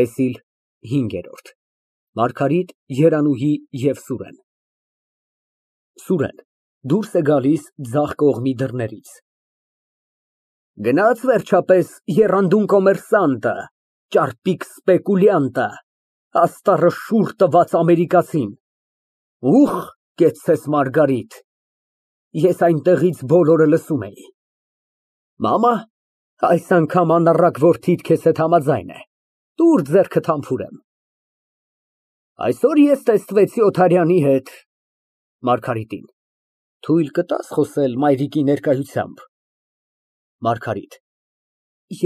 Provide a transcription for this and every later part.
ՏԵՍԻԼ հինգերորդ ՄԱՐԳԱՐԻՏ, ԵՐԱՆՈՒՀԻ և ՍՈՒՐԵՆ ՍՈՒՐԵՆ ֊ (Դուրս է գալիս ձախ կողմի դռներից) Գնա՞ց վերջապես, եռանդուն կոմերսանտը, ճարպիկ սպեկուլյանտը, աստառը շուռ տված ամերիկացին։ Ուխ, կեցցես, Մարգարիտ, ես այնտեղից բոլորը լսում էի։ Մամա, այս անգամ անառակ որդիդ քեզ հետ համաձայն է, տուր ձեռքդ համբուրեմ։ Այսօր ես տեսնվեցի Օթարյանի հետ։ (Մարգարիտին) Թույլ կտա՞ս խոսել մայրիկի ներկայությամբ։ ՄԱՐԳԱՐԻՏ ֊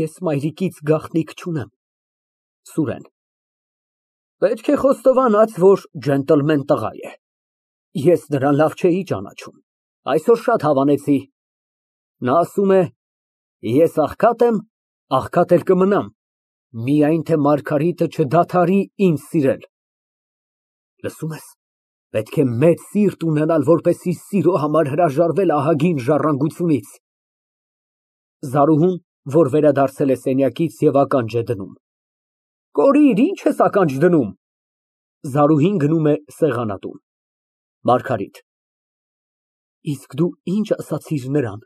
Ես մայրիկից գաղտնիք չունեմ։ ՍՈՒՐԵՆ ֊ Պետք է խոստովանած, որ ջենտլմեն տղա է։ Ես նրան լավ չէի ճանաչում, այսօր շատ հավանեցի։ Նա ասում է, ես աղքատ եմ, աղքատ էլ կմնամ, միայն թե Մարգարիտը չդադարի ինձ սիրել։ Լսում ես, պետք է մեծ սիրտ ունենալ, որպեսզի սիրո համար հրաժարվել ահագին ժառանգությունից։ (Զարուհուն, որ վերադարձել է սենյակից և ականջ է դնում) Կորիր, ի՞նչ ես ականջ դնում։ (Զարուհին գնում է սեղանատուն)։ ՄԱՐԳԱՐԻՏ ֊ Իսկ դու ինչ ասացիր նրան։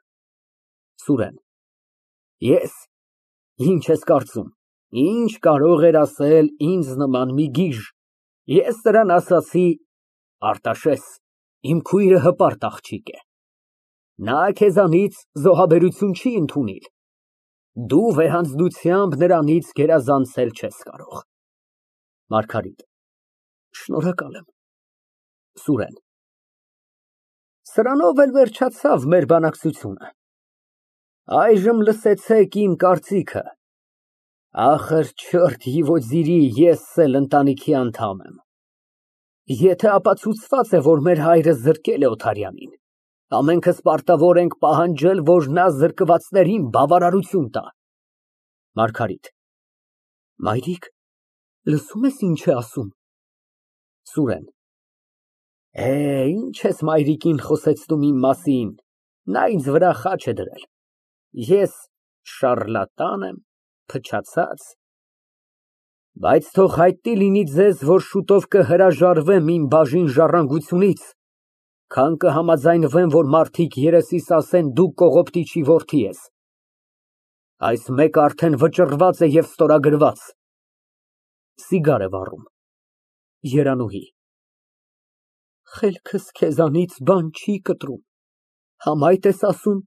ՍՈՒՐԵՆ ֊ Ես, ինչ ես կարծում, ինչ կարող էր ասել ինձ նման մի գիժ։ Ես նրան ասացի. Արտաշես, իմ քույրը հպարտ աղջիկ է, նա քեզանից զոհաբերություն չի ընդունիլ, դու վեհանձնությամբ նրանից գերազանցել չես կարող։ ՄԱՐԳԱՐԻՏ ֊ Շնորհակալ եմ։ ՍՈՒՐԵՆ ֊ Սրանով էլ վերջացավ մեր բանակցությունը։ Այժմ լսեցեք իմ կարծիքը։ Ես էլ ընտանիքի անդամ եմ։ Եթե ապացուցված է, որ մեր հայրը զրկել է Օթարյանին, ամենքս պարտավոր ենք պահանջել, որ նա զրկվածներին բավարարություն տա։ ՄԱՐԳԱՐԻՏ ֊ Մայրիկ, լսո՞ւմ ես ինչ է ասում։ ՍՈՒՐԵՆ ֊ Ինչ ես մայրիկին խոսեցնում իմ մասին, նա ինձ վրա խաչ է դրել։ Ես շառլատան եմ, փչացած։ Բայց թող հայտնի լինի ձեզ, որ շուտով կհրաժարվեմ իմ բաժին ժառանգությունից, քան կհամաձայնվեմ, որ մարդիկ երեսիս ասեն դու կողոպտիչի որդի ես։ Այս մեկը արդեն վճռված է և ստորագրված։ (Սիգար է վառում)։ ԵՐԱՆՈՒՀԻ ֊ Խելքս քեզանից բան չի կտրում, համ այդ ես ասում,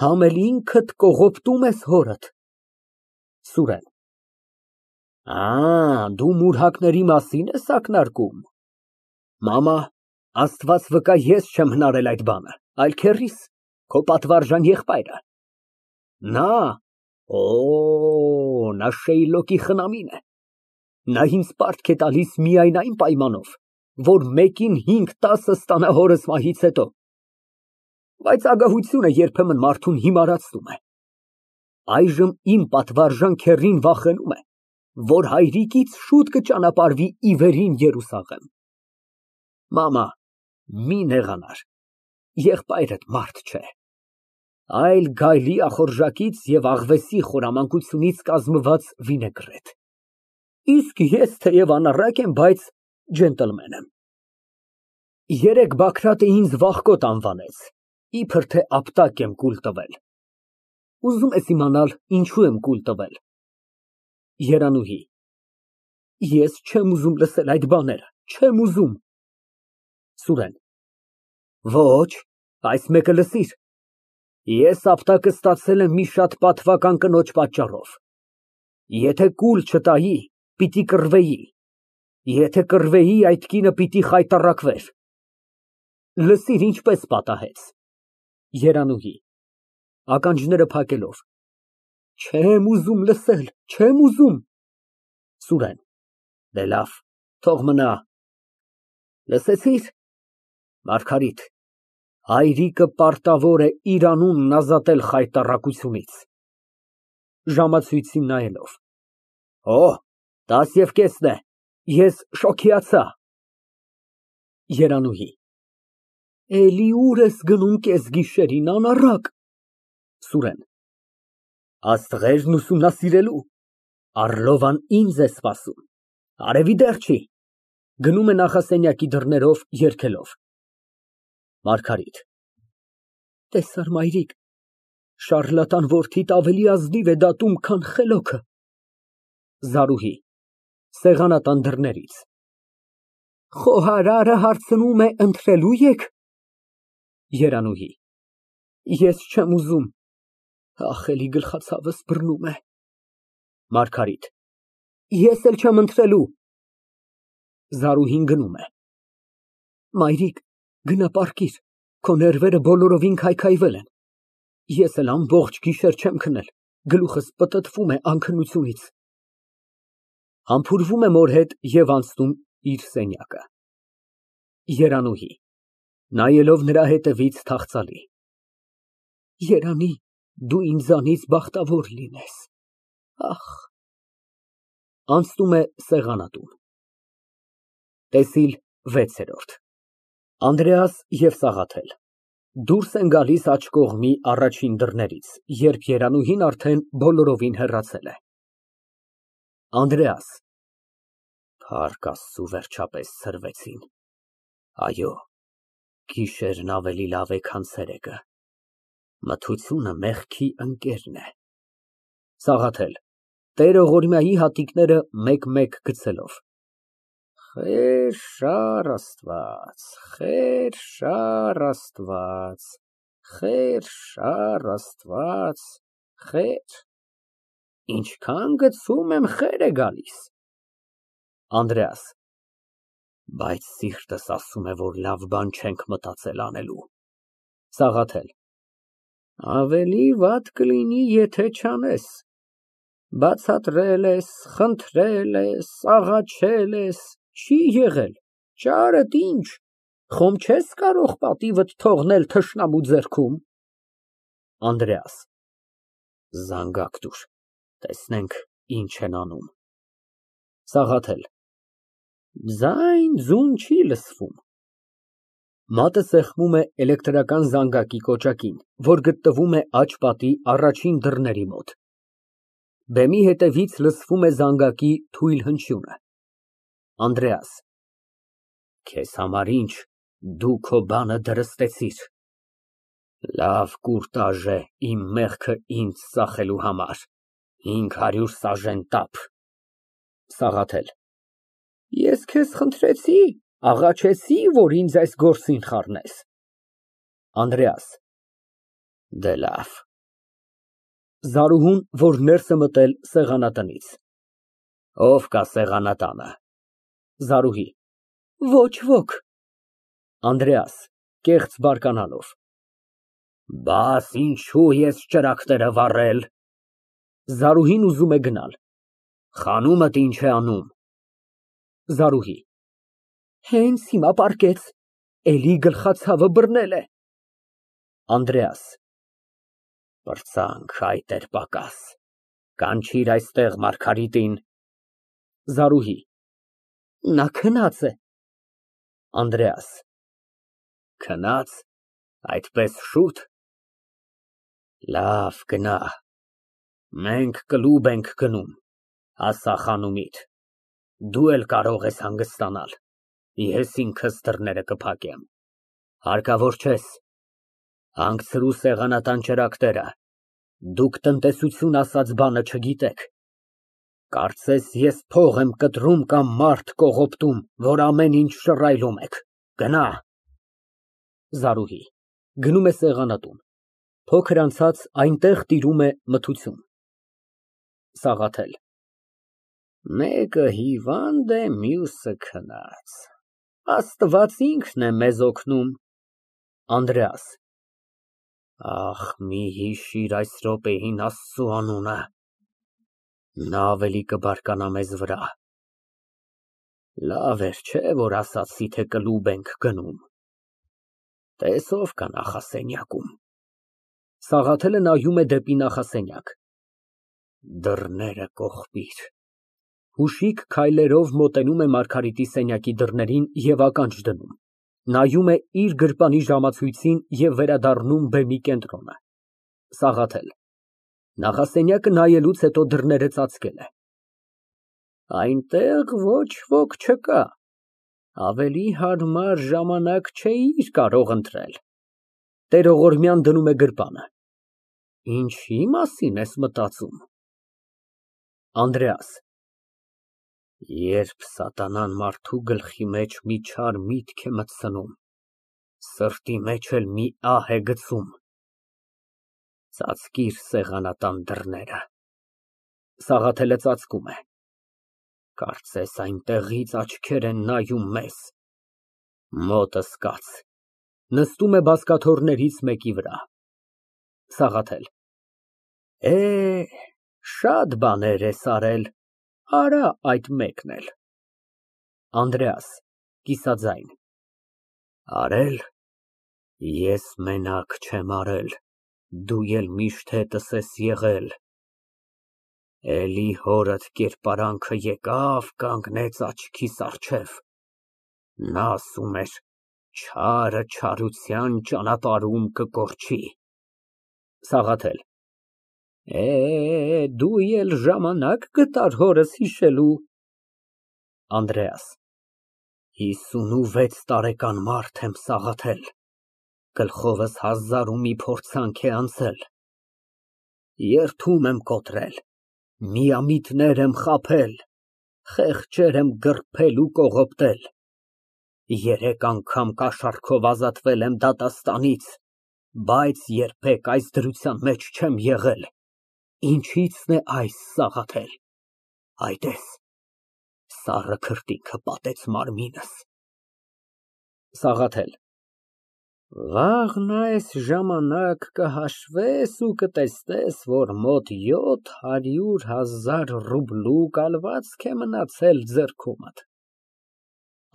համ էլ ինքդ կողոպտում ես հորդ։ ՍՈՒՐԵՆ ֊ Դու մուրհակների մասին ես ակնարկում։ Մամա, Աստված վկա, ես չեմ հնարել այդ բանը, այլ քեռիս, քո պատվարժան եղբայրը։ Նա Շեյլոկի խնամին է։ Նա ինձ պարտք է տալիս միայն այն պայմանով, որ մեկին 5-10 ստանա հորս մահից հետո։ Բայց ագահությունը երբեմն մարդուն հիմարացնում է։ Այժմ իմ պատվարժան քեռին վախենում է, որ հայրիկից շուտ կճանապարհվի ի վերին Երուսաղեմ։ Մամա, մի նեղանար, եղբայրդ մարդ չէ, այլ գայլի ախորժակից և աղվեսի խորամանկությունից կազմված վինեգրետ, իսկ ես թեև անառակ եմ, բայց ջենտլմեն եմ։ Երեկ Բագրատը ինձ վախկոտ անվանեց, իբր թե ապտակ եմ կուլ տվել։ Ուզում ես իմանալ ինչու եմ կուլ տվել։ ԵՐԱՆՈՒՀԻ ֊ Ես չեմ ուզում լսել այդ բաները, չեմ ուզում։ ՍՈՒՐԵՆ ֊ Ոչ, այս մեկը լսիր, ես ապտակը ստացել եմ մի շատ պատվարժան կնոջ պատճառով։ Եթե կուլ չտայի, պիտի կռվեի, եթե կռվեի, այդ կինը պիտի խայտառակվեր։ Լսիր, ինչպես պատահեց։ ԵՐԱՆՈՒՀԻ ֊ (Ականջները փակելով) Չեմ ուզում լսել, չեմ ուզում։ ՍՈՒՐԵՆ ֊ Դե լավ, թող մնա։ Լսեցի՞ր, Մարգարիտ, հայրիկը պարտավոր է իր անունն ազատել խայտառակությունից։ (Ժամացույցին նայելով) 10:30 է, ես շոգիացա։ ԵՐԱՆՈՒՀԻ ֊ Էլի ուր ես գնում կեսգիշերին, անառակ։ ՍՈՒՐԵՆ ֊ Աստղերն ուսումնասիրելու։ Առլովան ինձ է սպասում, արևի դեռ չի։ Գնում է նախասենյակի դռներով երգելով։ ՄԱՐԳԱՐԻՏ ֊ Տեսա՞ր, մայրիկ, շառլատան որդիդ ավելի ազնիվ է դատում, քան խելոքը։ ԶԱՐՈՒՀԻ ֊ Սեղանատան դռներից։ Խոհարարը հարցնում է ընթրելո՞ւ եք։ ԵՐԱՆՈՒՀԻ ֊ Ես չեմ ուզում, ախ, էլի գլխացավս բռնում է։ ՄԱՐԳԱՐԻՏ ֊ Ես էլ չեմ ընթրելու։ (Զարուհին գնում է)։ Մայրիկ, գնա պառկիր, քո ներվերը բոլորովին քայքայվել են։ Ես էլ ամբողջ գիշեր չեմ քնել, գլուխս պտտվում է անքնությունից։ (Համբուրվում է մոր հետ և անցնում իր սենյակը)։ ԵՐԱՆՈՒՀԻ ֊ (Նայելով նրա ետևից թախծալի) Երանի դու ինձանից բախտավոր լինես, ախ։ (Անցնում է սեղանատուն)։ ՏԵՍԻԼ վեցերորդ ԱՆԴՐԵԱՍ և ՍԱՂԱԹԵԼ Դուրս են գալիս աջ կողմի առաջին դռներից, երբ Երանուհին արդեն բոլորովին հեռացել է։ ԱՆԴՐԵԱՍ ֊ Փառք Աստծու, վերջապես ցրվեցին։ Այո, գիշերն ավելի լավ է, քան ցերեկը։ Մթությունը մեղքի ընկերն է։ ՍԱՂԱԹԵԼ ֊ (Տեր ողորմյայի հատիկները մեկ֊մեկ գցելով) Խեր շար Աստված, խեր շար Աստված, խեր շար Աստված, խեր, ինչքան գցում եմ, խեր է գալիս։ ԱՆԴՐԵԱՍ ֊ Բայց սիրտս ասում է, որ լավ բան չենք մտածել անելու։ ՍԱՂԱԹԵԼ ֊ Ավելի վատ կլինի, եթե չանես։ Բացատրել ես, խնդրել ես, աղաչել ես, չի եղել, ճարդ ինչ, խոմ չես կարող պատիվդ թողնել թշնամու ձեռքում։ ԱՆԴՐԵԱՍ ֊ Զանգակ տուր, տեսնենք ինչ են անում։ ՍԱՂԱԹԵԼ ֊ Ձայն֊ձուն չի լսվում։ (Մատը սեղմում է էլեկտրական զանգակի կոճակին, որ գտնվում է աջ պատի առաջին դռների մոտ։ Բեմի հետևից լսվում է զանգակի թույլ հնչյունը)։ ԱՆԴՐԵԱՍ ֊ Քեզ համար ինչ, դու քո բանը դրստեցիր։ Լավ կուրտաժ է իմ մեղքը ինձ ծախելու համար, 500 սաժեն տափ։ ՍԱՂԱԹԵԼ ֊ Ես քեզ խնդրեցի, աղաչեցի, որ ինձ այս գործին խառնես։ ԱՆԴՐԵԱՍ ֊ Դե լավ։ (Զարուհուն, որ ներս է մտել սեղանատնից) Ո՞վ կա սեղանատանը։ ԶԱՐՈՒՀԻ ֊ Ոչ ոք։ ԱՆԴՐԵԱՍ ֊ (Կեղծ բարկանալով) Բաս ինչու ես ճրագները վառել։ (Զարուհին ուզում է գնալ) Խանումդ ինչ է անում։ ԶԱՐՈՒՀԻ ֊ Հենց հիմա պառկեց, էլի գլխացավը բռնել է։ ԱՆԴՐԵԱՍ ֊ Պրծանք, այդ էր պակաս, կանչիր այստեղ Մարգարիտին։ ԶԱՐՈՒՀԻ ֊ Նա քնած է։ ԱՆԴՐԵԱՍ ֊ Քնա՞ծ, այդպես շուտ։ Լավ, գնա, մենք կլուբ ենք գնում, ասա խանումիդ, դու էլ կարող ես հանգստանալ, ես ինքս դռները կփակեմ, հարկավոր չես, հանգցրու սեղանատան ճրագները, դուք տնտեսություն ասած բանը չգիտեք, կարծես ես փող եմ կտրում կամ մարդ կողոպտում, որ ամեն ինչ շռայլում եք, գնա։ ԶԱՐՈՒՀԻ ֊ (Գնում է սեղանատուն, փոքր անցած այնտեղ տիրում է մթություն)։ ՍԱՂԱԹԵԼ ֊ Մեկը հիվանդ է, մյուսը քնած, Աստված ինքն է մեզ օգնում։ ԱՆԴՐԵԱՍ ֊ Ախ, մի հիշիր այս րոպեին Աստծու անունը, նա ավելի կբարկանա մեզ վրա։ Լավ էր, չէ՞, որ ասացի, թե կլուբ ենք գնում։ Տես ով կա նախասենյակում։ (Սաղաթելը նայում է դեպի նախասենյակ) Դռները կողպիր։ (Հուշիկ քայլերով մոտենում է Մարգարիտի սենյակի դռներին և ականջ դնում, նայում է իր գրպանի ժամացույցին և վերադառնում բեմի կենտրոնը)։ ՍԱՂԱԹԵԼ ֊ (Նախասենյակը նայելուց հետո դռները ծածկել է)։ Այնտեղ ոչ ոք չկա, ավելի հարմար ժամանակ չէիր կարող ընտրել։ (Տերողորմյան դնում է գրպանը) Ինչի մասին ես մտածում։ ԱՆԴՐԵԱՍ ֊ Երբ սատանան մարդու գլխի մեջ մի չար միտք է մտցնում, սրտի մեջ էլ մի ահ է գցում։ Ծածկիր սեղանատան դռները։ (Սաղաթելը ծածկում է)։ Կարծես այնտեղից աչքեր են նայում մեզ։ Մոտս կաց։ (Նստում է բազկաթոռներից մեկի վրա)։ ՍԱՂԱԹԵԼ ֊ Շատ բաներ ես արել, արա այդ մեկն էլ։ ԱՆԴՐԵԱՍ ֊ (Կիսաձայն) Արել, ես մենակ չեմ արել, դու էլ միշտ հետս ես եղել։ Էլի հորդ կերպարանքը եկավ, կանգնեց աչքիս առջև, նա ասում էր չարը չարության ճանապարհում կկորչի։ ՍԱՂԱԹԵԼ ֊ Դու էլ ժամանակ գտար հորս հիշելու։ ԱՆԴՐԵԱՍ ֊ 56 տարեկան մարդ եմ, Սաղաթել, գլխովս հազար ու մի փորձանք է անցել, երդում եմ կոտրել, միամիտներ եմ խաբել, խեղճեր եմ գռփել ու կողոպտել, 3 անգամ կաշառքով ազատվել եմ դատաստանից, բայց երբեք այս դրության մեջ չեմ եղել։ Ինչի՞ցն է այս, Սաղաթել, այ տես, սառը քրտինքը պատեց մարմինս։ ՍԱՂԱԹԵԼ ֊ Վաղն այս ժամանակ կհաշվես ու կտեսնես, որ մոտ 700,000 ռուբլու կալվածք է մնացել ձեռքումդ։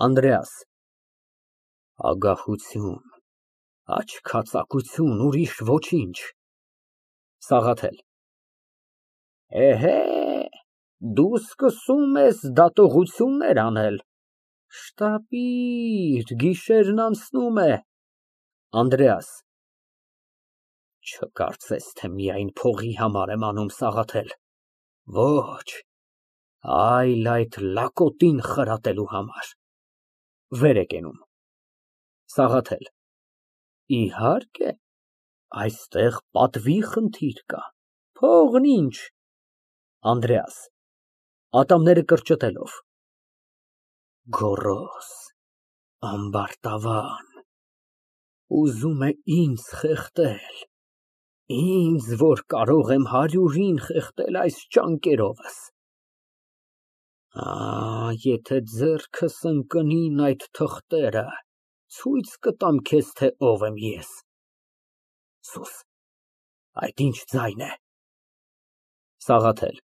ԱՆԴՐԵԱՍ ֊ Ագահություն, աչքածակություն, ուրիշ ոչինչ։ ՍԱՂԱԹԵԼ ֊ Դու սկսում ես դատողություններ անել, շտապիր, գիշերն անցնում է։ ԱՆԴՐԵԱՍ ֊ Չկարծես, թե միայն փողի համար եմ անում, Սաղաթել, ոչ, այլ այդ լակոտին խրատելու համար։ (Վեր է կենում)։ ՍԱՂԱԹԵԼ ֊ Իհարկե, այստեղ պատվի խնդիր կա, փողն ինչ։ ԱՆԴՐԵԱՍ ֊ (Ատամները կրճտելով) Գոռոզ, ամբարտավան, ուզում է ինձ խեղդել, ինձ, որ կարող եմ 100-ին խեղդել այս ճանկերովս։ Եթե ձեռքս ընկնեին այդ թղթերը, ցույց կտամ քեզ, թե ով եմ ես։ Սուս, այդ ինչ ձայն է։ ՍԱՂԱԹԵԼ ֊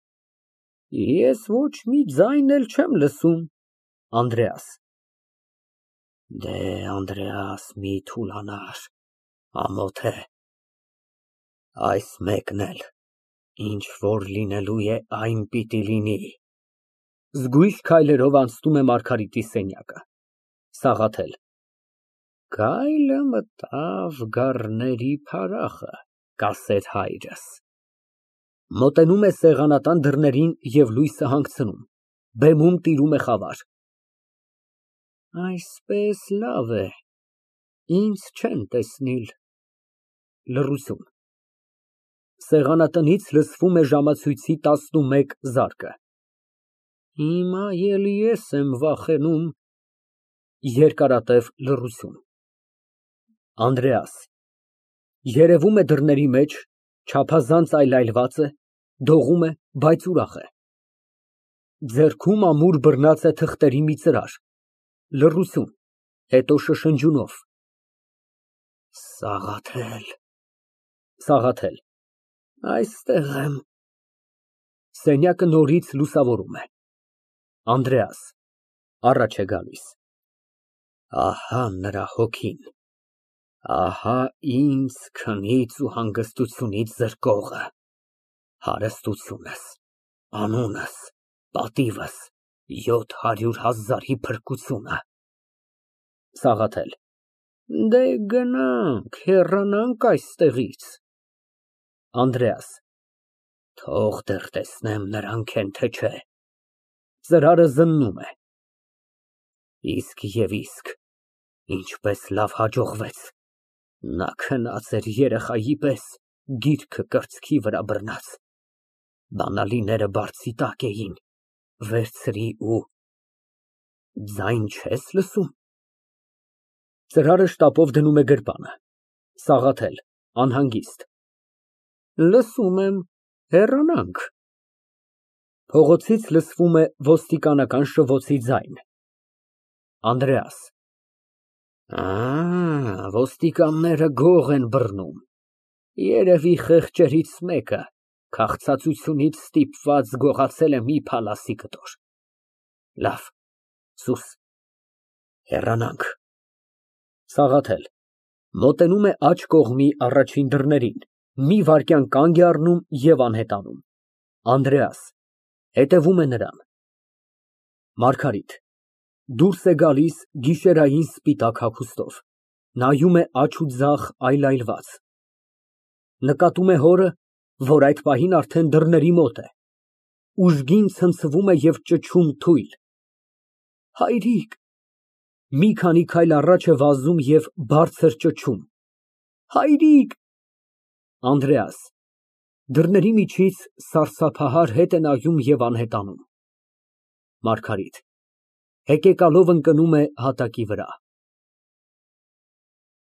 Ես ոչ մի ձայն էլ չեմ լսում։ ԱՆԴՐԵԱՍ ֊ Անդրեաս, մի թուլանար, ամոթ է։ Այս մեկն էլ, ինչ որ լինելու է, այն պիտի լինի։ (Զգույշ քայլերով անցնում է Մարգարիտի սենյակը)։ ՍԱՂԱԹԵԼ ֊ Գայլը մտավ գառների փարախը, կասեր հայրս։ (Մոտենում է սեղանատան դռներին և լույսը հանգցնում, բեմում տիրում է խավար)։ Այսպես լավ է, ինձ չեն տեսնիլ։ (Լռություն)։ Սեղանատնից լսվում է ժամացույցի 11 զարկը։ Հիմա էլ ես եմ վախենում։ (Երկարատև լռություն)։ ԱՆԴՐԵԱՍ ֊ Երևում է դռների մեջ, չափազանց այլայլված է, դողում է, բայց ուրախ է։ Ձեռքում ամուր բռնած է թղթերի մի ծրար։ Լռություն, հետո շշնջյունով։ Սաղաթել։ Այստեղ եմ։ Սենյակը նորից լուսավորում է։ ԱՆԴՐԵԱՍ ֊ Առաջ է գալիս։ Ահա նրա հոգին, ահա ինձ քնից ու հանգստությունից զրկողը, հարստությունս, անունս, պատիվս, 700,000-ի փրկությունը։ ՍԱՂԱԹԵԼ ֊ Դե գնանք, հեռանանք այստեղից։ ԱՆԴՐԵԱՍ ֊ Թող դեռ տեսնեմ նրանք են, թե չէ։ Ծրարը զննում է։ Իսկ և իսկ, ինչպես լավ հաջողվեց։ Նա քնած էր երեխայի պես, գիրքը կրծքի վրա բռնած։ Բանալիները բարձի տակ էին, վերցրի ու… Ձայն չես լսում։ Ծրարը շտապով դնում է գրպանը։ ՍԱՂԱԹԵԼ ֊ (Անհանգիստ) Լսում եմ, հեռանանք։ Փողոցից լսվում է ոստիկանական շվոցի ձայն։ ԱՆԴՐԵԱՍ ֊ Ոստիկանները գող են բռնում, երևի խեղճերից մեկը քաղցածությունից ստիպված գողացել է մի փալասի կտոր։ Լավ, սուս, հեռանանք։ ՍԱՂԱԹԵԼ ֊ (Մոտենում է աջ կողմի առաջին դռներին, մի վայրկյան կանգ է առնում և անհետանում)։ ԱՆԴՐԵԱՍ ֊ (Հետևում է նրան)։ ՄԱՐԳԱՐԻՏ ֊ (Դուրս է գալիս գիշերային սպիտակ հագուստով, նայում է աջ ու ձախ այլայլված։ Նկատում է հորը, որ այդ պահին արդեն դռների մոտ է, ուժգին ցնցվում է և ճչում թույլ։ Հայրիկ… Մի քանի քայլ առաջ է վազում և բարձր ճչում։ Հայրիկ… ԱՆԴՐԵԱՍ ֊ (Դռների միջից սարսափահար հետ է նայում և անհետանում)։ ՄԱՐԳԱՐԻՏ ֊ (Հեկեկալով ընկնում է հատակի վրա)։